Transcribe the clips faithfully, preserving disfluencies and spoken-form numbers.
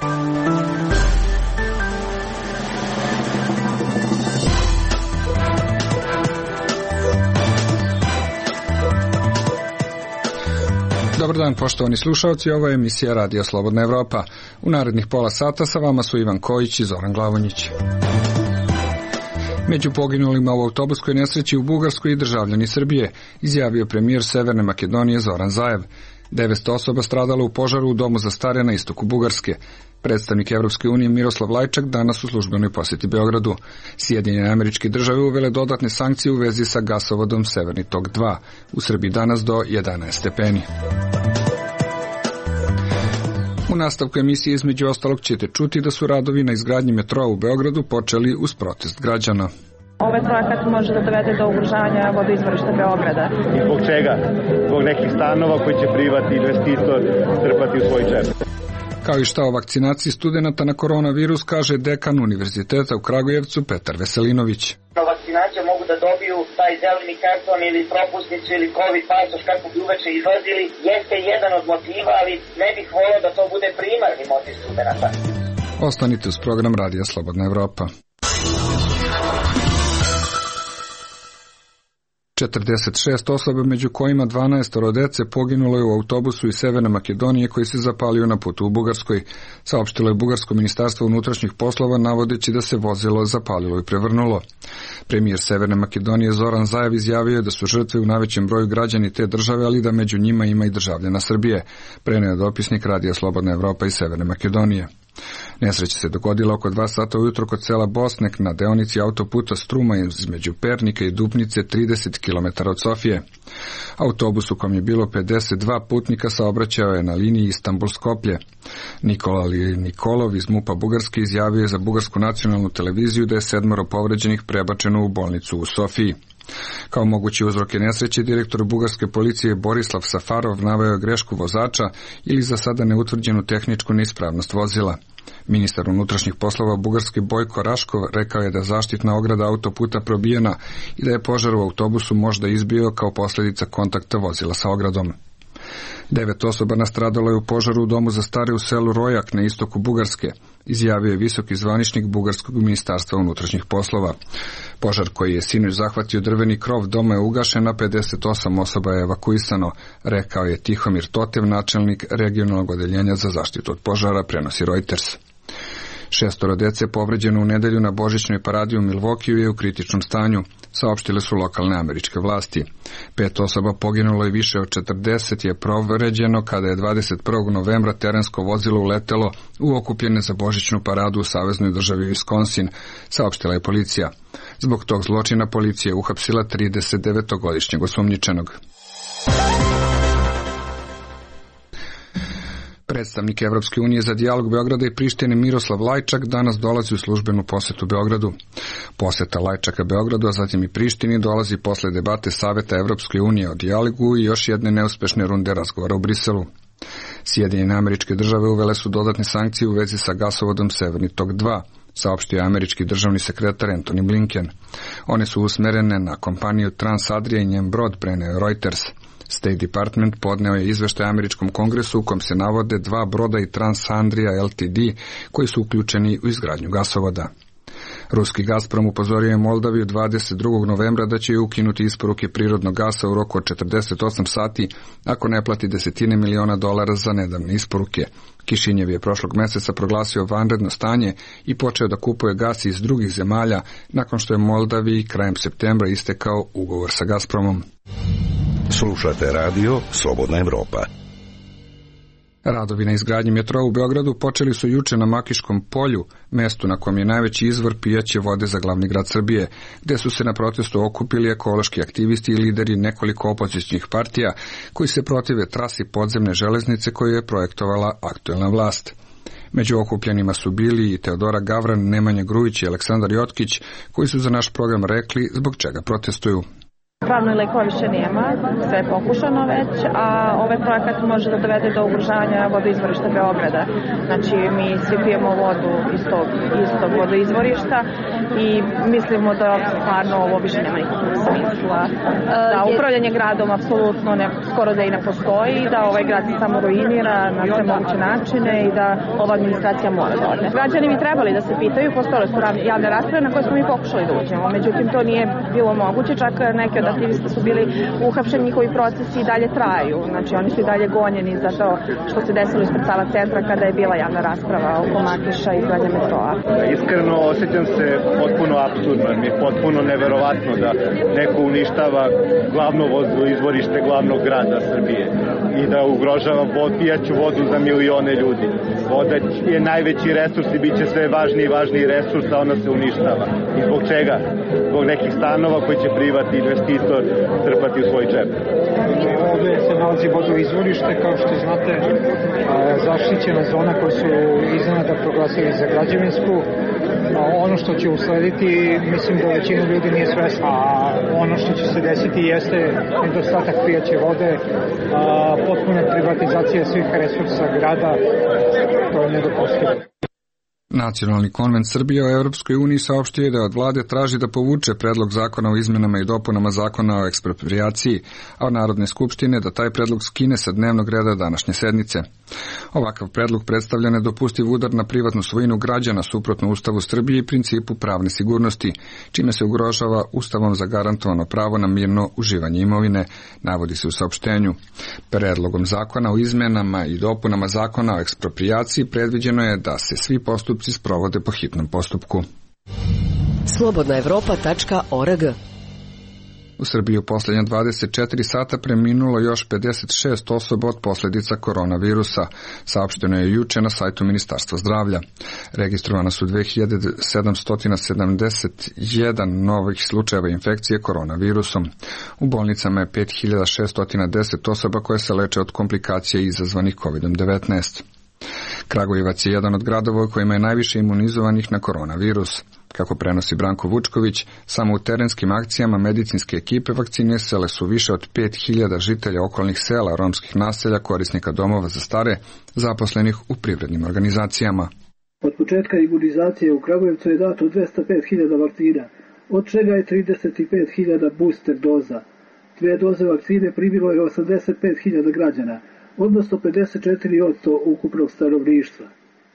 Dobar dan, poštovani slušalci, ovo je emisija Radija Slobodna Evropa. U narednih pola sata sa vama su Ivan Kojić i Zoran Glavonjić. Među poginulima u autobuskoj nesreći u Bugarskoj i državljani Srbije, izjavio premijer Severne Makedonije Zoran Zaev. devetsto osoba stradalo u požaru u domu za stare na istoku Bugarske. Predstavnik Evropske unije Miroslav Lajčak danas u službenoj posjeti Beogradu. Sjedinjene Američke Države uvele dodatne sankcije u vezi sa gasovodom Severni tok dva. U Srbiji danas do jedanaest stepeni. U nastavku emisije između ostalog ćete čuti da su radovi na izgradnji metroa u Beogradu počeli uz protest građana. Ovaj projekat može da dovede do ugrožavanja vodoizvorišta Beograda. I zbog čega? Zbog nekih stanova koji će privatni investitor trpati u svoj džep. Kao i šta o vakcinaciji studenata na koronavirus, kaže dekan Univerziteta u Kragujevcu Petar Veselinović. Na vakcinaciju mogu da dobiju taj zeleni karton ili propusnicu ili covid pasoš kako bi uveče izlazili. Jeste jedan od motiva, ali ne bih volio da to bude primarni motiv studenata. Ostanite uz program Radija Slobodna Evropa. četrdeset šest osoba, među kojima dvanaest dece, poginulo je u autobusu iz Severne Makedonije koji se zapalio na putu u Bugarskoj. Saopštilo je Bugarsko ministarstvo unutrašnjih poslova navodeći da se vozilo zapalilo i prevrnulo. Premijer Severne Makedonije Zoran Zaev izjavio je da su žrtve u najvećem broju građani te države, ali da među njima ima i državljana Srbije. Preneo je dopisnik Radija Slobodna Evropa iz Severne Makedonije. Nesreća se dogodila oko dva sata ujutro kod sela Bosnek na deonici autoputa Struma između Pernika i Dupnice, trideset kilometara od Sofije. Autobus u kom je bilo pedeset dva putnika saobraćao je na liniji Istanbul-Skoplje. Nikola Nikolov iz MUP-a Bugarske izjavio je za Bugarsku nacionalnu televiziju da je sedmoro povređenih prebačeno u bolnicu u Sofiji. Kao mogući uzroke nesreće, direktor bugarske policije Borislav Safarov naveo grešku vozača ili za sada neutvrđenu tehničku neispravnost vozila. Ministar unutrašnjih poslova Bugarske Bojko Raškov rekao je da zaštitna ograda autoputa probijena i da je požar u autobusu možda izbio kao posljedica kontakta vozila sa ogradom. Devet osoba nastradalo je u požaru u domu za stare u selu Rojak na istoku Bugarske, izjavio je visoki zvaničnik Bugarskog ministarstva unutrašnjih poslova. Požar koji je sinoć zahvatio drveni krov doma je ugašen, a pedeset osam osoba je evakuisano, rekao je Tihomir Totev, načelnik regionalnog odeljenja za zaštitu od požara, prenosi Reuters. Šestoro dece povređeno u nedelju na božićnoj paradi u Milwaukeeu je u kritičnom stanju, saopštile su lokalne američke vlasti. Pet osoba poginulo i više od četrdeset je povređeno kada je dvadeset prvog novembra terensko vozilo uletelo u okupljene za božićnu paradu u saveznoj državi Wisconsin, saopštila je policija. Zbog tog zločina policija je uhapsila tridesetdevetogodišnjeg osumnjičenog. Predstavnik Evropske unije za dijalog Beograda i Prištine Miroslav Lajčak danas dolazi u službenu posetu Beogradu. Poseta Lajčaka Beogradu, a zatim i Prištini dolazi posle debate Saveta Evropske unije o dijalogu i još jedne neuspešne runde razgovora u Briselu. Sjedinjene Američke Države uvele su dodatne sankcije u vezi sa gasovodom Severni tok dva, saopštio je američki državni sekretar Antony Blinken. One su usmerene na kompaniju Transadria i njen brod, preneo Reuters. State Department podneo je izveštaj američkom kongresu u kom se navode dva broda i Transandria L T D koji su uključeni u izgradnju gasovoda. Ruski Gazprom upozorio je Moldaviju dvadeset drugog novembra da će ukinuti isporuke prirodnog gasa u roku od četrdeset osam sati ako ne plati desetine miliona dolara za nedavne isporuke. Kišinjev je prošlog meseca proglasio vanredno stanje i počeo da kupuje gas iz drugih zemalja nakon što je Moldaviji krajem septembra istekao ugovor sa Gazpromom. Slušate radio Slobodna Evropa. Radovi na izgradnji metroa u Beogradu počeli su juče na Makiškom polju, mestu na kojem je najveći izvor pijaće vode za glavni grad Srbije, gde su se na protestu okupili ekološki aktivisti i lideri nekoliko opozicijskih partija koji se protive trasi podzemne železnice koju je projektovala aktuelna vlast. Među okupljenima su bili i Teodora Gavran, Nemanja Grujić i Aleksandar Jotkić, koji su za naš program rekli zbog čega protestuju. stvarno lekova više nema, sve je pokušano već, a ovaj projekat može da dovede do ugrožavanja vodoizvorišta Beograda. Znači, mi svi pijemo vodu iz tog istog vodoizvorišta i mislimo da stvarno ovo više nema nikakvog smisla. Da upravljanje gradom apsolutno ne, skoro da i ne postoji, da ovaj grad se samo ruinira na sve moguće načine i da ova administracija mora da odne. Građani bi trebali da se pitaju, postojale su javne rasprave na koje smo mi pokušali da uđemo, međutim to nije bilo moguće, čak neki od aktivista su bili uhapšeni, njihovi procesi i dalje traju, znači oni su i dalje gonjeni za to što se desilo ispred Sava centra kada je bila javna rasprava oko Makiša i izgradnje metroa. Iskreno osjećam se potpuno apsurdno, mi je potpuno neverovatno da neko uništava glavno izvorište glavnog grada Srbije i da ugrožava vod, pijaću vodu za milione ljudi. Voda je najveći resurs i bit će sve važniji i važniji resurs, a ona se uništava. I zbog čega? Zbog nekih stanova koji će privatni investitor trpati u svoj džep. Ovdje se nalazi vodoizvorište, kao što znate, zaštićena zona koju su iznenada proglasili za građevinsku. Ono što će uslediti, mislim da većina ljudi nije svesna, a ono što će se desiti jeste nedostatak pijaće vode, potpuna privatizacija svih resursa grada, to je nedopustivo. Nacionalni konvent Srbije o Europskoj uniji saopštio je da od vlade traži da povuče predlog zakona o izmenama i dopunama zakona o eksproprijaciji, a od Narodne skupštine da taj predlog skine sa dnevnog reda današnje sednice. Ovakav predlog predstavlja nedopustiv udar na privatnu svojinu građana suprotno Ustavu Srbije i principu pravne sigurnosti, čime se ugrožava Ustavom zagarantovano pravo na mirno uživanje imovine, navodi se u saopštenju. Predlogom zakona o izmenama i dopunama zakona o eksproprijaciji predviđeno je da se svi postupci sprovode po hitnom postupku. slobodna evropa tačka org. U Srbiji u posljednja dvadeset četiri sata preminulo još pedeset šest osoba od posljedica koronavirusa, saopšteno je juče na sajtu Ministarstva zdravlja. Registrovana su dve hiljade sedamsto sedamdeset jedan novih slučajeva infekcije koronavirusom. U bolnicama je pet hiljada šesto deset osoba koje se leče od komplikacija izazvanih kovid devetnaest. Kragujevac je jedan od gradova u kojima je najviše imunizovanih na koronavirus. Kako prenosi Branko Vučković, samo u terenskim akcijama medicinske ekipe vakcinisale su više od pet hiljada žitelja okolnih sela, romskih naselja, korisnika domova za stare, zaposlenih u privrednim organizacijama. Od početka imunizacije u Kragujevcu je dato dvesta pet hiljada vakcina, od čega je trideset pet hiljada booster doza. Dve doze vakcine primilo je osamdeset pet hiljada građana, odnosno pedeset četiri posto ukupnog stanovništva.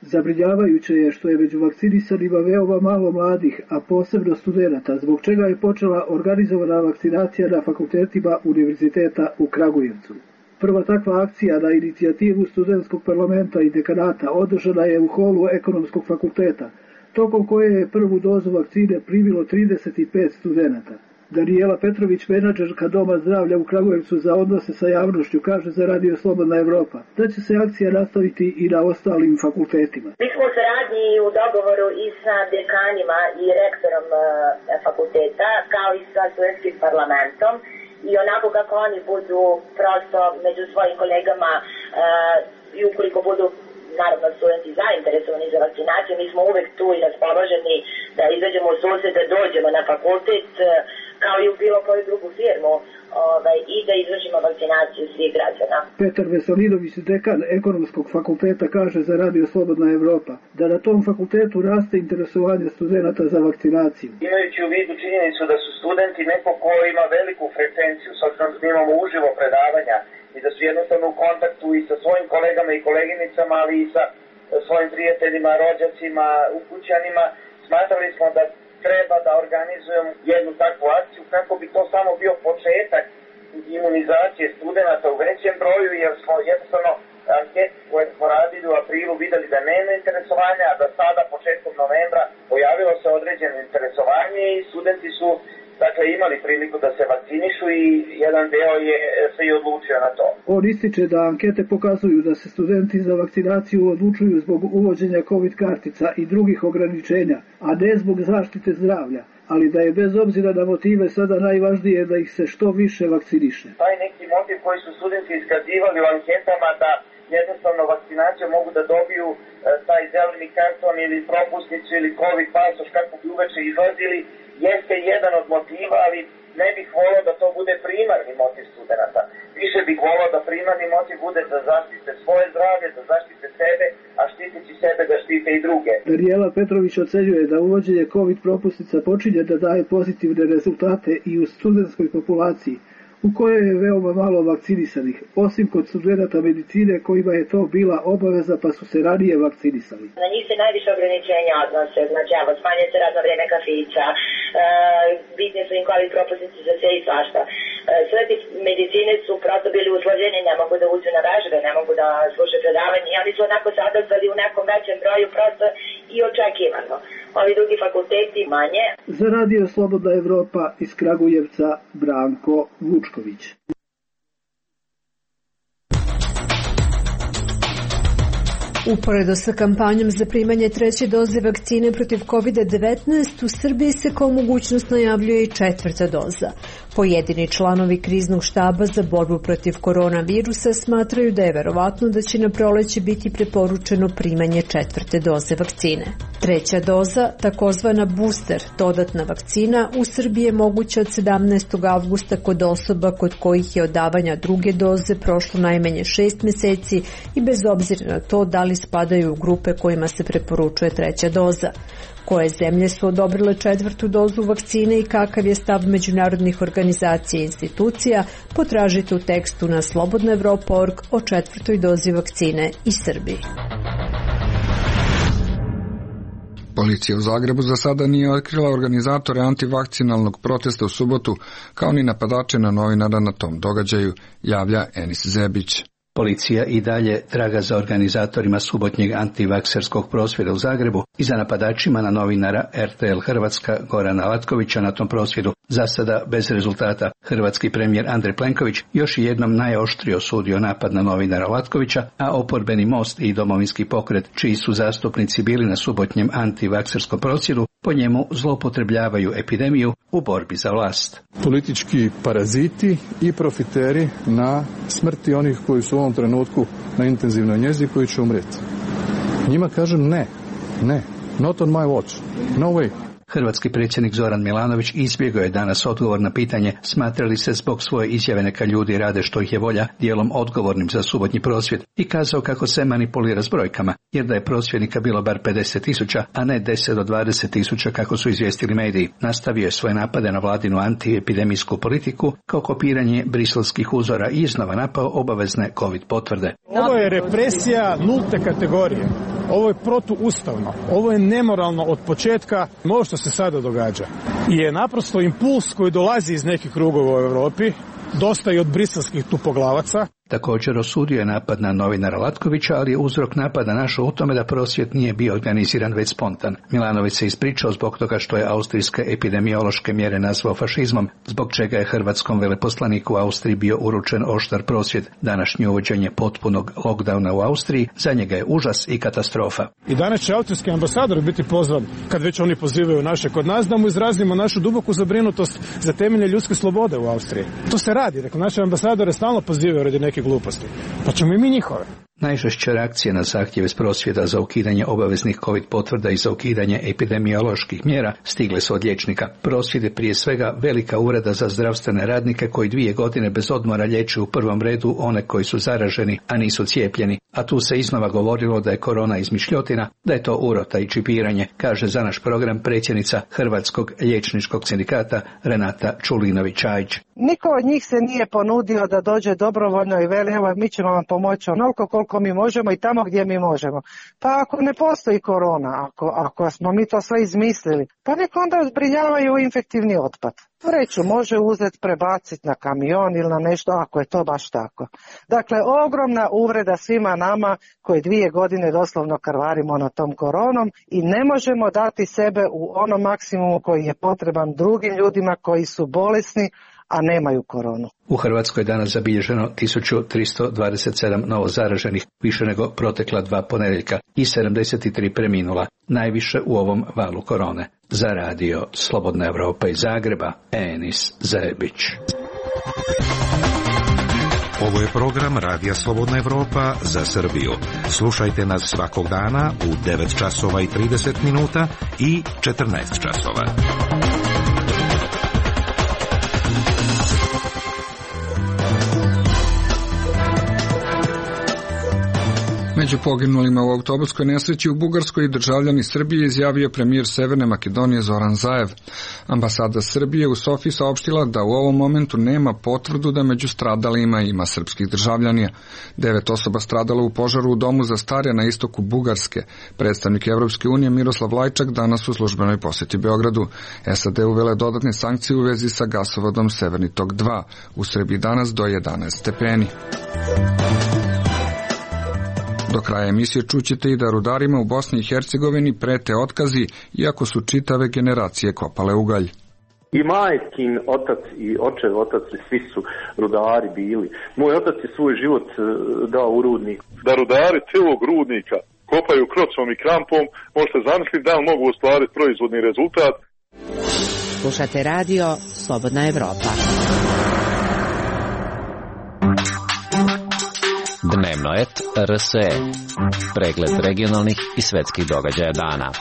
Zabrinjavajuće je što je među vakcinisanima veoma malo mladih, a posebno studenata, zbog čega je počela organizovana vakcinacija na fakultetima Univerziteta u Kragujevcu. Prva takva akcija na inicijativu studentskog parlamenta i dekanata održana je u holu Ekonomskog fakulteta, tokom koje je prvu dozu vakcine primilo trideset pet studenata. Danijela Petrović, menadžerka Doma zdravlja u Kragujevcu za odnose sa javnošću, kaže za Radio Slobodna Evropa da će se akcija nastaviti i na ostalim fakultetima. Mi smo u saradnji u dogovoru i sa dekanima i rektorom uh, fakulteta, kao i sa studentskim parlamentom, i onako kako oni budu prosto među svojim kolegama uh, i ukoliko budu naravno studenti zainteresovani za vakcinaciju, mi smo uvek tu i raspoloženi da izađemo u susret, da dođemo na fakultet, kao i u bilo koju drugu firmu, ovaj, i da izvršimo vakcinaciju svih građana. Petar Veselinović, dekan Ekonomskog fakulteta, kaže za Radio Slobodna Evropa da na tom fakultetu raste interesovanje studenta za vakcinaciju. Imajući u vidu činjenicu da su studenti neko ko ima veliku frekvenciju, s obzirom da imamo uživo predavanja i da su jednostavno u kontaktu i sa svojim kolegama i koleginicama, ali i sa svojim prijateljima, rođacima, ukućanima, smatrali smo da treba da organizujemo jednu takvu akciju kako bi to samo bio početak imunizacije studenta u većem broju, jer smo jednostavno anketi koje smo radili u aprilu videli da nema interesovanja, a da sada početkom novembra pojavilo se određeno interesovanje i studenti su dakle imali priliku da se vakcinišu i jedan deo je se i odlučio na to. On ističe da ankete pokazuju da se studenti za vakcinaciju odlučuju zbog uvođenja COVID kartica i drugih ograničenja, a ne zbog zaštite zdravlja, ali da je bez obzira na motive sada najvažnije da ih se što više vakciniše. Taj neki motiv koji su studenti iskazivali u anketama da jednostavno vakcinacijom mogu da dobiju e, taj zeleni karton ili propusnicu ili COVID pasoš kako bi uveče izlazili, jeste jedan od motiva, ali ne bih volao da to bude primarni motiv studenta. Više bih volao da primarni motiv bude da zaštite svoje zdravlje, da zaštite sebe, a štiteći sebe da štite i druge. Danijela Petrović ocenjuje da uvođenje COVID propusnica počinje da daje pozitivne rezultate i u studentskoj populaciji, u kojoj je veoma malo vakcinisanih, osim kod studenta medicine kojima je to bila obaveza pa su se ranije vakcinisali. Na njih se najviše ograničenja odnose, znači evo, smanjuje se radno vrijeme kafića, e, bitne su im COVID propusnice za sve i svašta. E, studenti medicine su prosto bili usloženi, ne mogu da uđu na vežbe, ne mogu da slušaju predavanje i oni su onako se odazvali u nekom većem broju prosto i očekivano. Ovi drugi fakulteti manje. Za radio Slobodna Evropa iz Kragujevca Branko Vučković. Uporedo sa kampanjom za primanje treće doze vakcine protiv kovid devetnaest, u Srbiji se kao mogućnost najavljuje i četvrta doza. Pojedini članovi kriznog štaba za borbu protiv koronavirusa smatraju da je verovatno da će na proleće biti preporučeno primanje četvrte doze vakcine. Treća doza, takozvana booster, dodatna vakcina, u Srbiji je moguća od sedamnaestog avgusta kod osoba kod kojih je od davanja druge doze prošlo najmanje šest meseci i bez obzira na to da li spadaju u grupe kojima se preporučuje treća doza. Koje zemlje su odobrile četvrtu dozu vakcine i kakav je stav međunarodnih organizacija i institucija, potražite u tekstu na slobodna evropa tačka org o četvrtoj dozi vakcine i Srbiji. Policija u Zagrebu za sada nije otkrila organizatore antivakcinalnog protesta u subotu, kao ni napadače na novinara na tom događaju, javlja Enis Zebić. Policija i dalje traga za organizatorima subotnjeg antivakserskog prosvjeda u Zagrebu i za napadačima na novinara er te el Hrvatska Gorana Latkovića na tom prosvjedu. Za sada bez rezultata. Hrvatski premijer Andrej Plenković još jednom najoštrije osudio napad na novinara Latkovića, a oporbeni Most i Domovinski pokret, čiji su zastupnici bili na subotnjem antivakserskom prosvjedu, po njemu zloupotrebljavaju epidemiju u borbi za vlast. Politički paraziti i profiteri na smrti onih koji su u ovom trenutku na intenzivnoj njezi koji će umreti. Njima kažem ne, ne, not on my watch, no way. Hrvatski predsjednik Zoran Milanović izbjegao je danas odgovor na pitanje smatrali se zbog svoje izjave neka ljudi rade što ih je volja dijelom odgovornim za subotnji prosvjed i kazao kako se manipulira s brojkama, jer da je prosvjednika bilo bar pedeset tisuća, a ne deset do dvadeset tisuća kako su izvijestili mediji. Nastavio je svoje napade na vladinu antiepidemijsku politiku kao kopiranje briselskih uzora i iznova napao obavezne COVID potvrde. Ovo je represija nulte kategorije. Ovo je protuustavno. Ovo je nemoralno od početka. Ovo što se sada događa je naprosto impuls koji dolazi iz nekih krugova u Europi, dosta i od briselskih tupoglavaca. Također osudio je napad na novinara Latkovića, ali je uzrok napada našao u tome da prosvjed nije bio organiziran već spontan. Milanović se ispričao zbog toga što je austrijske epidemiološke mjere nazvao fašizmom, zbog čega je hrvatskom veleposlaniku u Austriji bio uručen oštar prosvjed. Današnje uvođenje potpunog lockdowna u Austriji za njega je užas i katastrofa. I danas će austrijski ambasador biti pozvan, kad već oni pozivaju naše kod nas, da mu izrazimo našu duboku zabrinutost za temeljne ljudske slobode u Austriji. To se radi, dakle naše ambasadore stalno pozivaju radi neke gluposti. Pa ćemo i mi njihove. Najžešće reakcije na zahtjeve s prosvjeda za ukidanje obaveznih COVID potvrda i za ukidanje epidemioloških mjera stigle su od liječnika. Prosvjed je prije svega velika uvreda za zdravstvene radnike koji dvije godine bez odmora liječe u prvom redu one koji su zaraženi, a nisu cijepljeni. A tu se iznova govorilo da je korona izmišljotina, da je to urota i čipiranje, kaže za naš program predsjednica Hrvatskog liječničkog sindikata Renata Čulinović-Čajić. Niko od njih se nije ponudio da dođe dobrovoljno i veli evo mi ćemo vam pomoći onoliko koliko mi možemo i tamo gdje mi možemo. Pa ako ne postoji korona, ako, ako smo mi to sve izmislili, pa nek onda zbrinjavaju infektivni otpad. Vreću može uzeti, prebaciti na kamion ili na nešto ako je to baš tako. Dakle, ogromna uvreda svima nama koji dvije godine doslovno krvarimo na tom koronom i ne možemo dati sebe u onom maksimumu koji je potreban drugim ljudima koji su bolesni, a nemaju koronu. U Hrvatskoj je danas zabilježeno tisuću tristo dvadeset sedam novozaraženih, više nego protekla dva ponedjeljka i sedamdeset tri preminula, najviše u ovom valu korone. Za radio Slobodna Evropa iz Zagreba, Enis Zebić. Ovo je program Radija Slobodna Evropa za Srbiju. Slušajte nas svakog dana u devet časova i trideset minuta i četrnaest časova. Među poginulima u autobuskoj nesreći u Bugarskoj i državljani Srbije izjavio premijer Severne Makedonije Zoran Zaev. Ambasada Srbije u Sofiji saopštila da u ovom momentu nema potvrdu da među stradalima ima srpskih državljana. Devet osoba stradalo u požaru u domu za stare na istoku Bugarske. Predstavnik Evropske unije Miroslav Lajčak danas u službenoj posjeti Beogradu. S A D uvele dodatne sankcije u vezi sa gasovodom Severni tok dva. U Srbiji danas do jedanaest stepeni. Do kraja emisije čućete i da rudarima u Bosni i Hercegovini prete otkazi, iako su čitave generacije kopale ugalj. I majkin otac i očev otac, svi su rudari bili. Moj otac je svoj život dao u rudnik. Da rudari celog rudnika kopaju krocom i krampom, možete zamisliti da li mogu ostvariti proizvodni rezultat. Slušate radio Slobodna Evropa. Dnevno et R S E. Pregled regionalnih i svetskih događaja dana.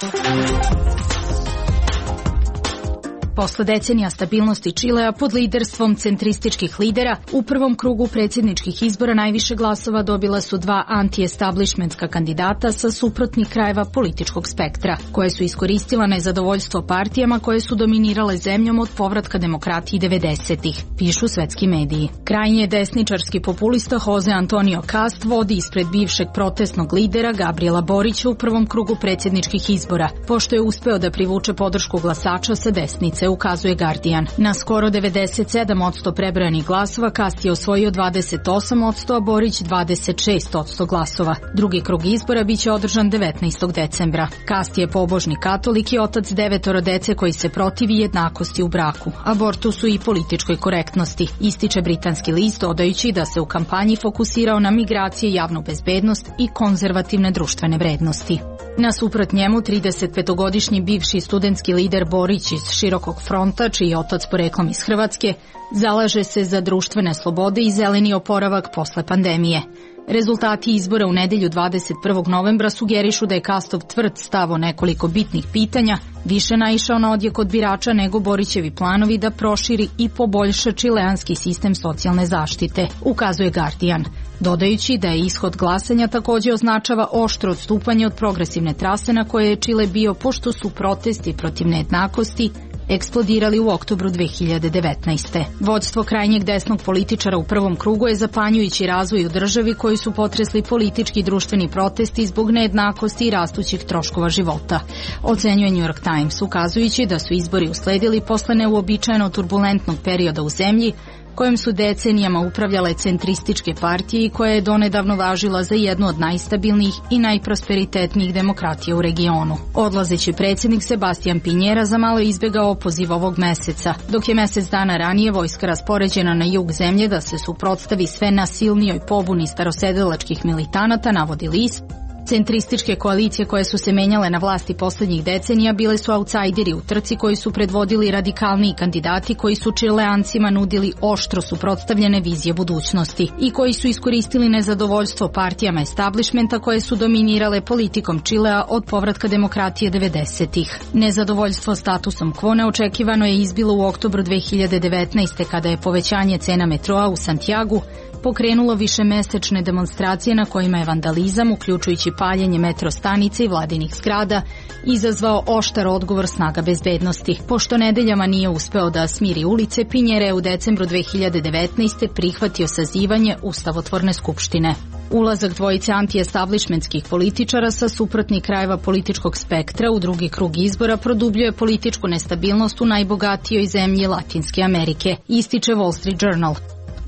Posle decenija stabilnosti Čilea pod liderstvom centrističkih lidera, u prvom krugu predsjedničkih izbora najviše glasova dobila su dva anti-establishmentska kandidata sa suprotnih krajeva političkog spektra, koje su iskoristila nezadovoljstvo partijama koje su dominirale zemljom od povratka demokratiji devedesetih, pišu svetski mediji. Krajnje desničarski populista Jose Antonio Cast vodi ispred bivšeg protestnog lidera Gabriela Borića u prvom krugu predsjedničkih izbora, pošto je uspeo da privuče podršku glasača sa desnice, ukazuje Guardian. Na skoro devedeset sedam posto prebrojanih glasova Cast je osvojio dvadeset osam posto, a Borić dvadeset šest posto glasova. Drugi krug izbora biće održan devetnaestog decembra. Cast je pobožni katolik i otac devetoro dece koji se protivi jednakosti u braku, abortusu i političkoj korektnosti, ističe britanski list, dodajući da se u kampanji fokusirao na migracije, javnu bezbednost i konzervativne društvene vrednosti. Nasuprot njemu, tridesetpetogodišnji bivši studentski lider Borić iz Širokog fronta, čiji je otac poreklom iz Hrvatske, zalaže se za društvene slobode i zeleni oporavak posle pandemije. Rezultati izbora u nedelju dvadeset prvog novembra sugerišu da je Castov tvrd stav o nekoliko bitnih pitanja više naišao na odjek od birača nego Borićevi planovi da proširi i poboljša čileanski sistem socijalne zaštite, ukazuje Guardian, dodajući da je ishod glasanja također označava oštro odstupanje od progresivne trase na koje je Čile bio, pošto su protesti protiv nejednakosti eksplodirali u oktobru dve hiljade devetnaeste. Vođstvo krajnjeg desnog političara u prvom krugu je zapanjujući razvoj u državi koji su potresli politički i društveni protesti zbog nejednakosti i rastućih troškova života, ocenjuje New York Times, ukazujući da su izbori usledili posle neuobičajeno turbulentnog perioda u zemlji kojom su decenijama upravljale centrističke partije i koja je donedavno važila za jednu od najstabilnijih i najprosperitetnijih demokratija u regionu. Odlazeći predsjednik Sebastian Pinjera zamalo izbjegao opoziv ovog meseca, dok je mjesec dana ranije vojska raspoređena na jug zemlje da se suprotstavi sve nasilnijoj pobuni starosedelačkih militanata, navodi list. Centrističke koalicije koje su se menjale na vlasti posljednjih decenija bile su autsajderi u trci koji su predvodili radikalniji kandidati koji su Čileancima nudili oštro suprotstavljene vizije budućnosti i koji su iskoristili nezadovoljstvo partijama establishmenta koje su dominirale politikom Čilea od povratka demokratije devedesetih. Nezadovoljstvo statusom quo neočekivano je izbilo u oktobru dve hiljade devetnaeste kada je povećanje cena metroa u Santiagu pokrenulo višemesečne demonstracije na kojima je vandalizam, uključujući paljenje metro stanice i vladinih zgrada, izazvao oštar odgovor snaga bezbednosti. Pošto nedeljama nije uspeo da smiri ulice, Pinjera je u decembru dve hiljade devetnaeste prihvatio sazivanje ustavotvorne skupštine. Ulazak dvojice anti-establishmentskih političara sa suprotnih krajeva političkog spektra u drugi krug izbora produbljuje političku nestabilnost u najbogatijoj zemlji Latinske Amerike, ističe Wall Street Journal.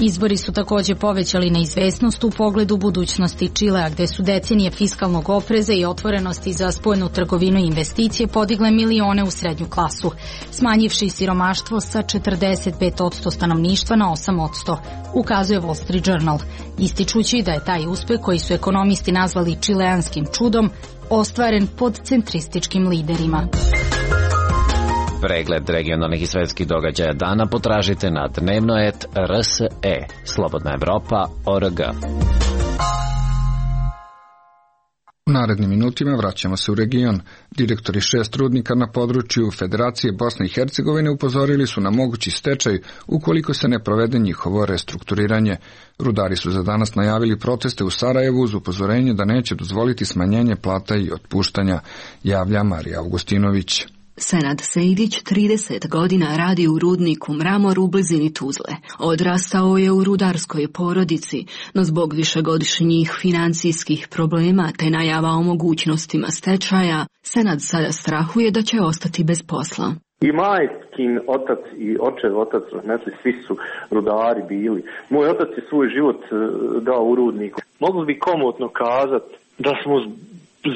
Izbori su također povećali neizvesnost u pogledu budućnosti Čilea, gde su decenije fiskalnog opreza i otvorenosti za spoljnu trgovinu i investicije podigle milione u srednju klasu, smanjivši siromaštvo sa četrdeset pet posto stanovništva na osam posto, ukazuje Wall Street Journal, ističući da je taj uspeh, koji su ekonomisti nazvali čileanskim čudom, ostvaren pod centrističkim liderima. Pregled regionalnih i svetskih događaja dana potražite na dnevno et R S E, Slobodna Evropa, O R G. U narednim minutima vraćamo se u region. Direktori šest rudnika na području Federacije Bosne i Hercegovine upozorili su na mogući stečaj ukoliko se ne provede njihovo restrukturiranje. Rudari su za danas najavili proteste u Sarajevu uz upozorenje da neće dozvoliti smanjenje plata i otpuštanja, javlja Marija Augustinović. Senad Sejdić trideset godina radi u rudniku Mramor u blizini Tuzle. Odrastao je u rudarskoj porodici, no zbog višegodišnjih financijskih problema te najava o mogućnostima stečaja, Senad sada strahuje da će ostati bez posla. I majkin otac i očev otac, znači svi su rudari bili. Moj otac je svoj život dao u rudniku. Mogli bi komotno kazati da smo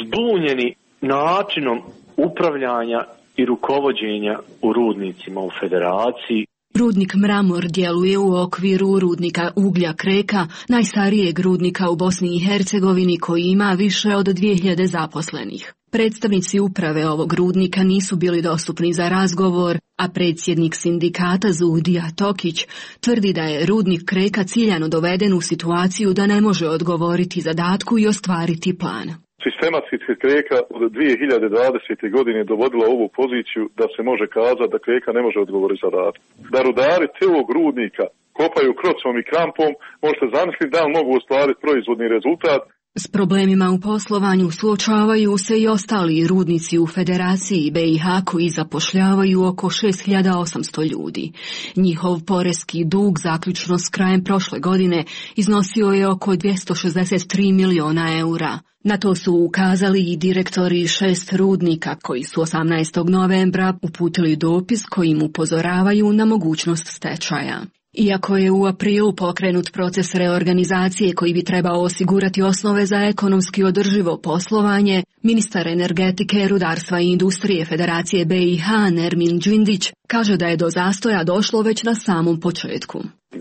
zbunjeni načinom upravljanja i rukovođenja u rudnicima u Federaciji. Rudnik Mramor djeluje u okviru rudnika uglja Kreka, najstarijeg rudnika u Bosni i Hercegovini koji ima više od dvije hiljade zaposlenih. Predstavnici uprave ovog rudnika nisu bili dostupni za razgovor, a predsjednik sindikata Zuhdija Tokić tvrdi da je rudnik Kreka ciljano doveden u situaciju da ne može odgovoriti zadatku i ostvariti plan. Sistematski se Kreka od dvije hiljade dvadesete. godine dovodila ovu poziciju da se može kazati da Kreka ne može odgovoriti zadatku. Da rudari celog rudnika kopaju krocom i krampom, možete zamisliti da li mogu ostvariti proizvodni rezultat. S problemima u poslovanju suočavaju se i ostali rudnici u Federaciji B i H koji zapošljavaju oko šest hiljada osamsto ljudi. Njihov poreski dug zaključno s krajem prošle godine iznosio je oko dvjesto šezdeset tri miliona eura. Na to su ukazali i direktori šest rudnika koji su osamnaestog novembra uputili dopis kojim upozoravaju na mogućnost stečaja. Iako je u aprilu pokrenut proces reorganizacije koji bi trebao osigurati osnove za ekonomski održivo poslovanje, ministar energetike, rudarstva i industrije Federacije B i H Nermin Đindić kaže da je do zastoja došlo već na samom početku.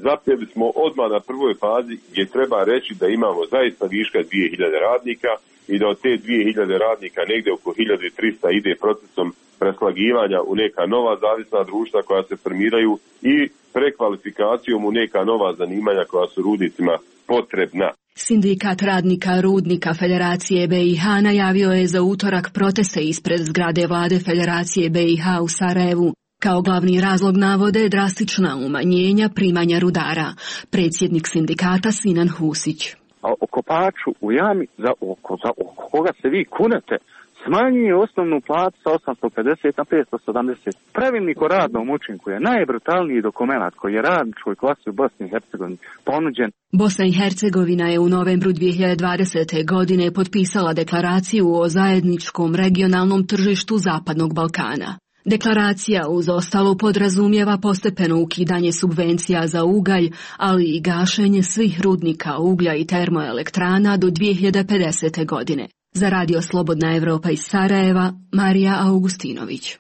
Zapeli smo odmah na prvoj fazi gdje treba reći da imamo zaista viška dvije hiljade radnika i da od te dvije hiljade radnika negdje oko hiljadu trista ide procesom preslagivanja u neka nova zavisna društva koja se formiraju i prekvalifikacijom u neka nova zanimanja koja su rudnicima potrebna. Sindikat radnika rudnika Federacije B i H najavio je za utorak proteste ispred zgrade vlade Federacije B i H u Sarajevu. Kao glavni razlog navode drastična umanjenja primanja rudara. Predsjednik sindikata Sinan Husić. A o kopaču u jami za oko, za oko koga se vi kunete, smanjuje osnovnu platu sa osamsto pedeset na petsto sedamdeset. Pravilnik o radnom učinku je najbrutalniji dokument koji je radničkoj klasi u Bosni i Hercegovini ponuđen. Bosna i Hercegovina je u novembru dvije hiljade dvadesete. godine potpisala deklaraciju o zajedničkom regionalnom tržištu Zapadnog Balkana. Deklaracija uz ostalo podrazumijeva postepeno ukidanje subvencija za ugalj, ali i gašenje svih rudnika uglja i termoelektrana do dvije hiljade pedesete. godine. Za Radio Slobodna Evropa iz Sarajeva, Marija Augustinović.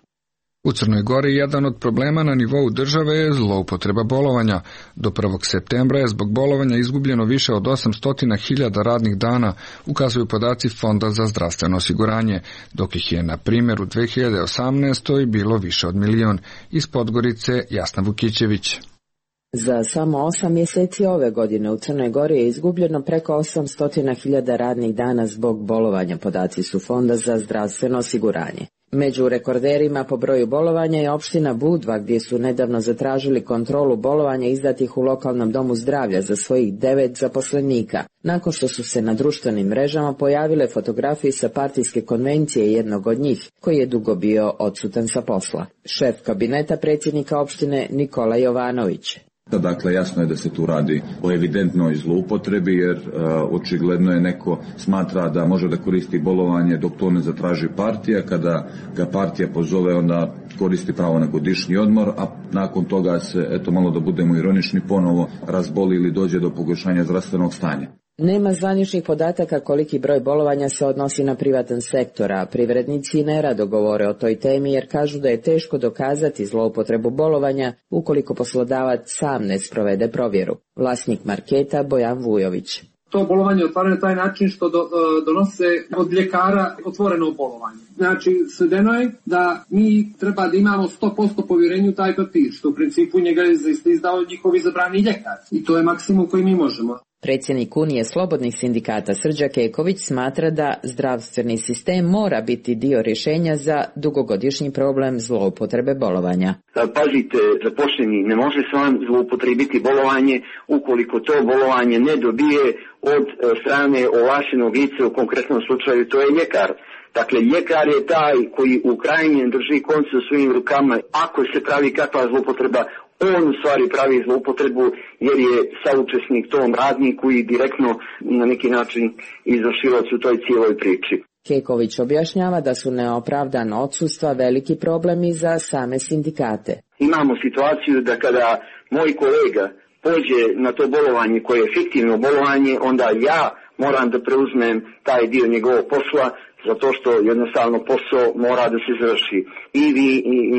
U Crnoj Gori jedan od problema na nivou države je zloupotreba bolovanja. Do prvog septembra je zbog bolovanja izgubljeno više od osamsto hiljada radnih dana, ukazuju podaci Fonda za zdravstveno osiguranje, dok ih je, na primjer, u dvije hiljade osamnaestoj. bilo više od milion. Iz Podgorice Jasna Vukićević. Za samo osam mjeseci ove godine u Crnoj Gori je izgubljeno preko osamsto hiljada radnih dana zbog bolovanja, podaci su Fonda za zdravstveno osiguranje. Među rekorderima po broju bolovanja je opština Budva, gdje su nedavno zatražili kontrolu bolovanja izdatih u lokalnom domu zdravlja za svojih devet zaposlenika, nakon što su se na društvenim mrežama pojavile fotografije sa partijske konvencije jednog od njih, koji je dugo bio odsutan sa posla. Šef kabineta predsjednika opštine Nikola Jovanović. Dakle, jasno je da se tu radi o evidentnoj zloupotrebi, jer uh, očigledno je neko smatra da može da koristi bolovanje dok to ne zatraži partija. Kada ga partija pozove, onda koristi pravo na godišnji odmor, a nakon toga se, eto malo da budemo ironični, ponovo razboli ili dođe do pogoršanja zdravstvenog stanja. Nema zvaničnih podataka koliki broj bolovanja se odnosi na privatan sektor, a privrednici nerado govore o toj temi jer kažu da je teško dokazati zloupotrebu bolovanja ukoliko poslodavac sam ne sprovede provjeru. Vlasnik marketa Bojan Vujović. To bolovanje otvaraju na taj način što do, donose od ljekara otvoreno bolovanje. Znači, svedeno je da mi treba da imamo sto posto povjerenje u taj papir, što u principu njega je izdao njihov izabrani ljekar. I to je maksimum koji mi možemo. Predsjednik Unije slobodnih sindikata Srđa Keković smatra da zdravstveni sistem mora biti dio rješenja za dugogodišnji problem zloupotrebe bolovanja. Pazite, zaposleni ne može sam zloupotrebiti bolovanje ukoliko to bolovanje ne dobije od strane ovlaštenog lica, u konkretnom slučaju to je ljekar. Dakle, ljekar je taj koji u krajnjem drži konce u svojim rukama. Ako se pravi kakva zloupotreba, on u stvari pravi zloupotrebu jer je saučesnik tom radniku i direktno na neki način izvršilac u toj cijeloj priči. Keković objašnjava da su neopravdana odsustva veliki problem i za same sindikate. Imamo situaciju da kada moj kolega pođe na to bolovanje koje je fiktivno bolovanje, onda ja moram da preuzmem taj dio njegovog posla, zato što jednostavno posao mora da se završi. I vi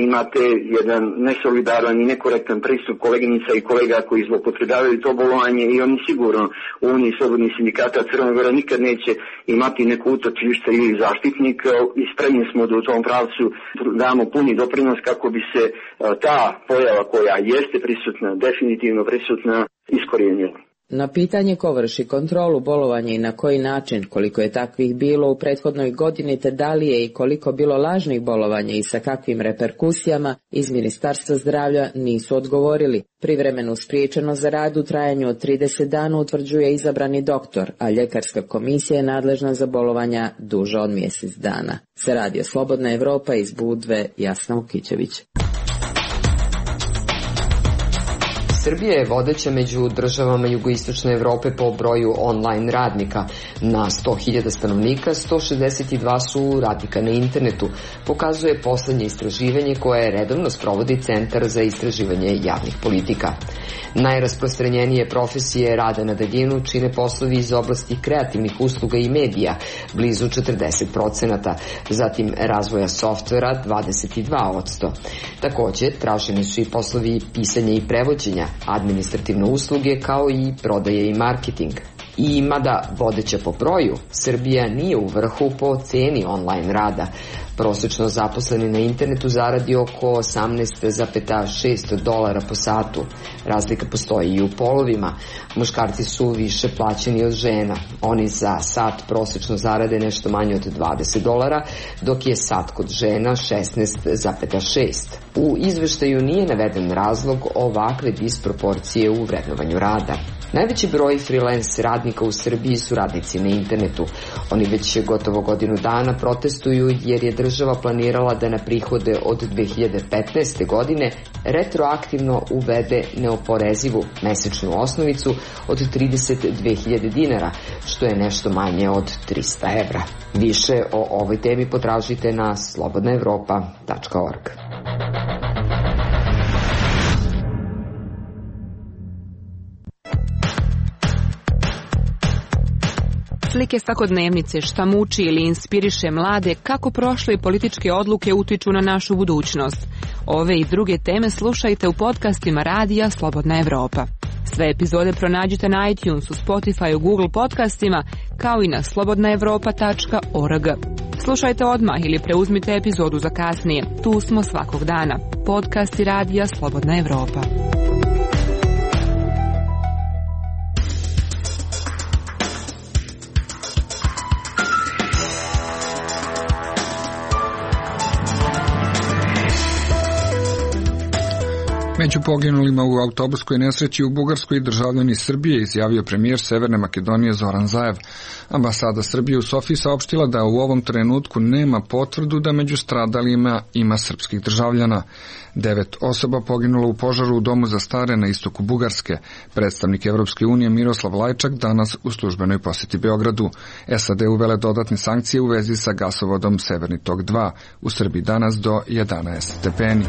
imate jedan nesolidaran i nekorektan pristup koleginica i kolega koji zloupotrebljavaju to bolovanje i oni sigurno u Uniji slobodnih sindikata Crne Gore nikad neće imati neku utočište ili zaštitnik i spremni smo da u tom pravcu damo puni doprinos kako bi se ta pojava koja jeste prisutna, definitivno prisutna, iskorijenila. Na pitanje ko vrši kontrolu bolovanja i na koji način, koliko je takvih bilo u prethodnoj godini te da li je i koliko bilo lažnih bolovanja i sa kakvim reperkusijama, iz Ministarstva zdravlja nisu odgovorili. Privremenu spriječenost za rad u trajanju od trideset dana utvrđuje izabrani doktor, a ljekarska komisija je nadležna za bolovanja duže od mjesec dana. Za Radio Slobodna Evropa iz Budve, Jasna Ukićević. Srbija je vodeća među državama jugoistočne Evrope po broju online radnika. Na sto hiljada stanovnika, sto šezdeset dva su radnika na internetu, pokazuje poslednje istraživanje koje redovno sprovodi Centar za istraživanje javnih politika. Najrasprostranjenije profesije rada na daljinu čine poslovi iz oblasti kreativnih usluga i medija, blizu četrdeset procenata, zatim razvoja softvera dvadeset dva posto. Takođe, traženi su i poslovi pisanja i prevođenja, administrativne usluge kao i prodaje i marketing. I mada vodeća po broju, Srbija nije u vrhu po ceni online rada. Prosečno zaposleni na internetu zaradi oko osamnaest zarez šest dolara po satu. Razlika postoji i u polovima. Muškarci su više plaćeni od žena. Oni za sat prosečno zarade nešto manje od dvadeset dolara, dok je sat kod žena šesnaest zarez šest. U izveštaju nije naveden razlog ovakve disproporcije u vrednovanju rada. Najveći broj freelance radnika u Srbiji su radnici na internetu. Oni već gotovo godinu dana protestuju jer je država planirala da na prihode od dve hiljade petnaeste. godine retroaktivno uvede neoporezivu mesečnu osnovicu od trideset dve hiljade dinara, što je nešto manje od trista evra. Više o ovoj temi potražite na slobodna evropa tačka org. Slike svakodnevnice, šta muči ili inspiriše mlade, kako prošle političke odluke utiču na našu budućnost. Ove i druge teme slušajte u podcastima Radija Slobodna Evropa. Sve epizode pronađite na iTunesu, Spotify, Google podcastima, kao i na slobodna evropa tačka org. Slušajte odmah ili preuzmite epizodu za kasnije. Tu smo svakog dana. Podcasti Radija Slobodna Evropa. Među poginulima u autobuskoj nesreći u Bugarskoj državljani Srbije, izjavio premijer Severne Makedonije Zoran Zaev. Ambasada Srbije u Sofiji saopštila da u ovom trenutku nema potvrdu da među stradalima ima srpskih državljana. Devet osoba poginulo u požaru u domu za stare na istoku Bugarske. Predstavnik Evropske unije Miroslav Lajčak danas u službenoj posjeti Beogradu. S A D uvele dodatne sankcije u vezi sa gasovodom Severni tok dva. U Srbiji danas do jedanaest stepeni.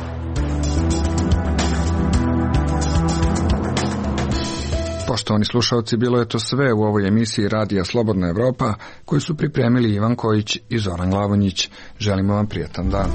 Poštovani slušalci, bilo je to sve u ovoj emisiji Radija Slobodna Evropa koju su pripremili Ivan Kojić i Zoran Glavonjić. Želimo vam prijatan dan.